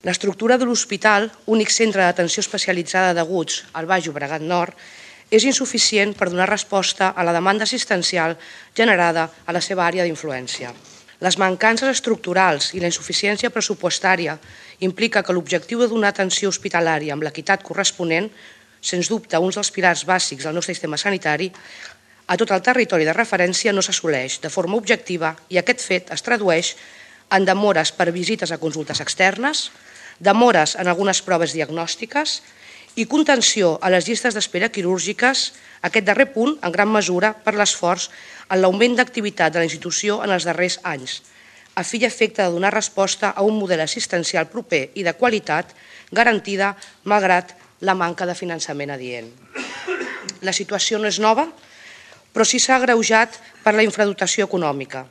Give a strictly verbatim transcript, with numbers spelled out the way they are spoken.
L'estructura de l'hospital, únic centre d'atenció especialitzada d'aguts al Baix Llobregat Nord, és insuficient per donar resposta a la demanda assistencial generada a la seva àrea d'influència. Les mancances estructurals i la insuficiència pressupostària implica que l'objectiu de donar atenció hospitalària amb l'equitat corresponent, sens dubte un dels pilars bàsics del nostre sistema sanitari, a tot el territori de referència no s'assoleix de forma objectiva i aquest fet es tradueix en demores per visites a consultes externes, demores en algunes proves diagnòstiques i contenció a les llistes d'espera quirúrgiques, aquest darrer punt en gran mesura per l'esforç en l'augment d'activitat de la institució en els darrers anys, a fi i efecte de donar resposta a un model assistencial proper i de qualitat garantida malgrat la manca de finançament adient. La situació no és nova, però sí s'ha agreujat per la infradotació econòmica.